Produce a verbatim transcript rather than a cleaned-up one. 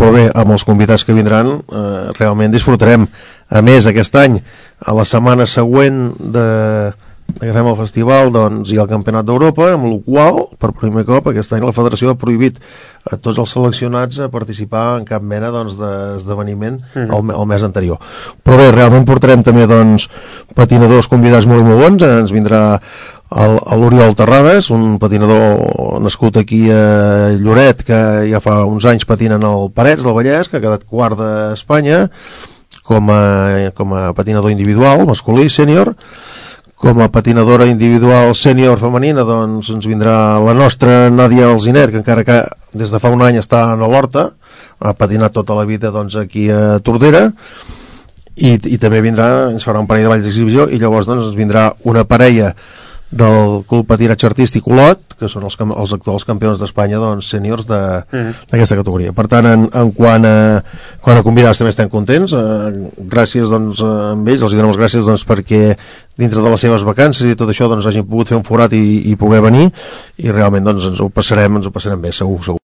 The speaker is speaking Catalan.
però bé, amb els convidats que vindran eh, realment disfrutarem. A més, aquest any, a la setmana següent de que fem el festival, doncs hi ha el Campionat d'Europa, amb el qual per primer cop aquest any la federació ha prohibit a tots els seleccionats a participar en cap mena doncs, d'esdeveniment mm. el, el mes anterior. Però bé, realment portarem també doncs, patinadors convidats molt i molt bons. Ens vindrà l'Oriol Terrades, un patinador nascut aquí a Lloret, que ja fa uns anys patina en el Parets del Vallès, que ha quedat quart d'Espanya com a, com a patinador individual masculí, sènior. Com a patinadora individual sènior femenina, doncs ens vindrà la nostra Nàdia Alziner, que encara que des de fa un any està a l'Horta, ha patinat tota la vida doncs, aquí a Tordera, i, i també vindrà, ens farà un parell de balls d'exhibició, i llavors doncs, ens vindrà una parella del Club Patinatge Artístic Olot, que són els, els actuals campions d'Espanya doncs, sèniors d'aquesta mm. categoria. Per tant, en, en quant, a, quant a convidats també estem contents. Eh, gràcies doncs, amb ells, els donem les gràcies doncs, perquè dintre de les seves vacances i tot això doncs, hagin pogut fer un forat i, i poder venir, i realment doncs, ens ho passarem ens ho passarem bé, segur, segur.